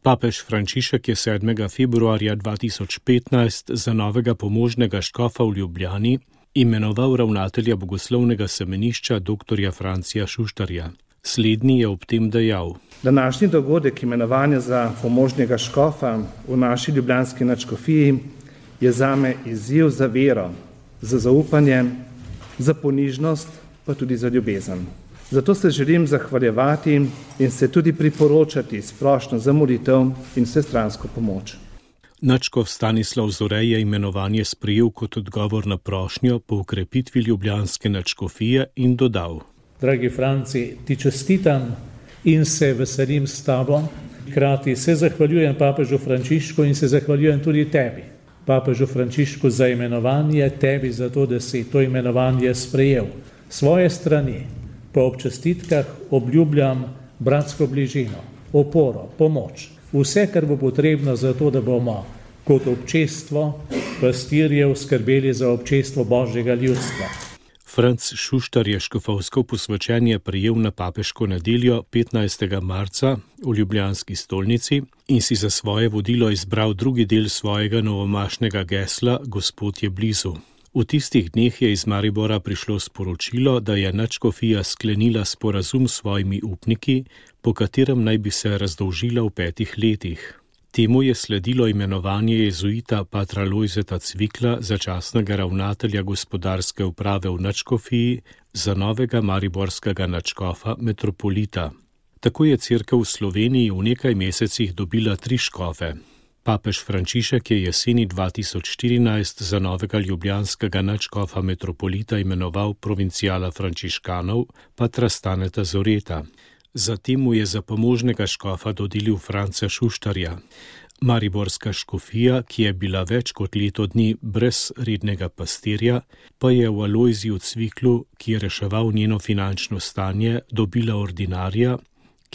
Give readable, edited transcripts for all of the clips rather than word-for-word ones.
Papež Frančišek je 7. februarja 2015 za novega pomožnega škofa v Ljubljani imenoval ravnatelja bogoslovnega semenišča dr. Francija Šuštarja. Slednji je ob tem dejal: Današnji dogodek imenovanja za pomožnega škofa v naši ljubljanski nadškofiji je zame izziv za vero, za zaupanje, za ponižnost, pa tudi za ljubezen. Zato se želim zahvaljevati in se tudi priporočati splošno za molitev in vsestransko pomoč. Nadškof Stanislav Zore je imenovanje sprejel kot odgovor na prošnjo po ukrepitvi ljubljanske nadškofije in dodal: Dragi Franci, ti čestitam in se veselim s tabo. Hkrati se zahvaljujem papežu Frančišku in se zahvaljujem tudi tebi, papežu Frančišku, za imenovanje, tebi za to, da si to imenovanje sprejel. Svoje strani po občestitkah obljubljam bratsko bližino, oporo, pomoč, vse, kar bo potrebno za to, da bomo kot občestvo pastirjev skrbeli za občestvo Božjega ljudstva. Franc Šuštar je škofovsko posvečenje prejel na papeško nedeljo 15. marca v ljubljanski stolnici in si za svoje vodilo izbral drugi del svojega novomašnega gesla Gospod je blizu. V tistih dneh je iz Maribora prišlo sporočilo, da je nadškofija sklenila sporazum s svojimi upniki, po katerem naj bi se razdolžila v 5 letih. Temu je sledilo imenovanje jezuita patra Lojzeta Cvikla, začasnega ravnatelja gospodarske uprave v nadškofiji, za novega mariborskega nadškofa metropolita. Tako je cerkev v Sloveniji v nekaj mesecih dobila 3 škofe. Papež Frančišek je jeseni 2014 za novega ljubljanskega nadškofa metropolita imenoval provincijala frančiškanov patra Staneta Zoreta. Zatem mu je za pomožnega škofa dodelil Franca Šuštarja. Mariborska škofija, ki je bila več kot leto dni brez rednega pastirja, pa je v Alojziju Cviklu, ki je reševal njeno finančno stanje, dobila ordinarja,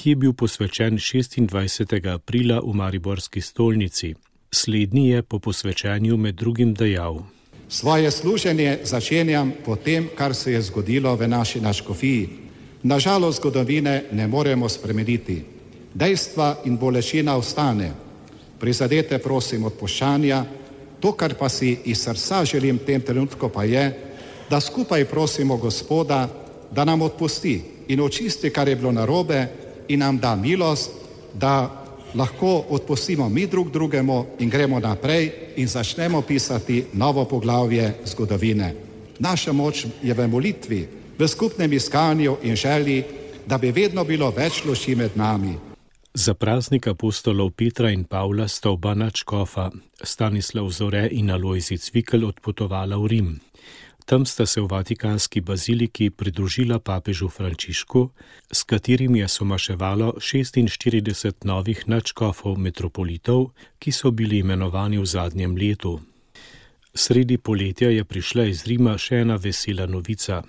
ki je bil posvečen 26. aprila v mariborski stolnici. Slednji je po posvečenju med drugim dejal: Svoje služenje začenjam po tem, kar se je zgodilo v naši nadškofiji. Nažalost zgodovine ne moremo spremeniti. Dejstva in bolečina ostane. Prizadete prosim odpuščanja. To, kar pa si iz srca želim v tem trenutku, pa je, da skupaj prosimo Gospoda, da nam odpusti in očisti, kar je bilo narobe, in nam da milost, da lahko odpustimo mi drug drugemu in gremo naprej in začnemo pisati novo poglavje zgodovine. Naša moč je v molitvi, v skupnem iskanju in želji, da bi vedno bilo več luči med nami. Za praznik apostolov Petra in Pavla sta oba nadškofa, Stanislav Zore in Alojzij Cvikl, odpotovala v Rim. Tam sta se v Vatikanski baziliki pridružila papežu Frančišku, s katerim je somaševalo 46 novih nadškofov metropolitov, ki so bili imenovani v zadnjem letu. Sredi poletja je prišla iz Rima še ena vesela novica.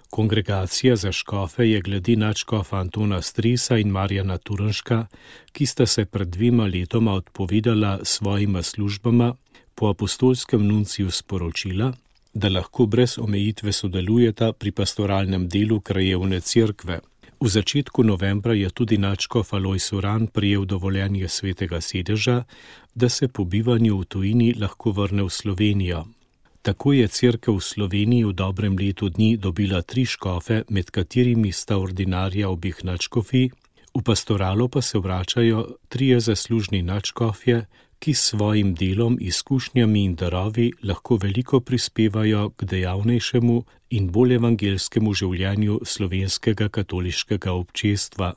Kongregacija za škofe je glede nadškofa Antona Stresa in Marjana Turnška, ki sta se pred 2 letoma odpovedala svojima službama, po apostolskem nunciju sporočila, da lahko brez omejitve sodelujeta pri pastoralnem delu krajevne cerkve. V začetku novembra je tudi nadškof Alojz Uran prijel dovoljenje Svetega sedeža, da se po bivanju v tujini lahko vrne v Slovenijo. Tako je cerkev v Sloveniji v dobrem letu dni dobila 3 škofe, med katerimi sta ordinarja obeh nadškofij, v pastoralo pa se vračajo 3 zaslužni nadškofje, ki s svojim delom, izkušnjami in darovi lahko veliko prispevajo k dejavnejšemu in bolj evangelskemu življenju slovenskega katoliškega občestva.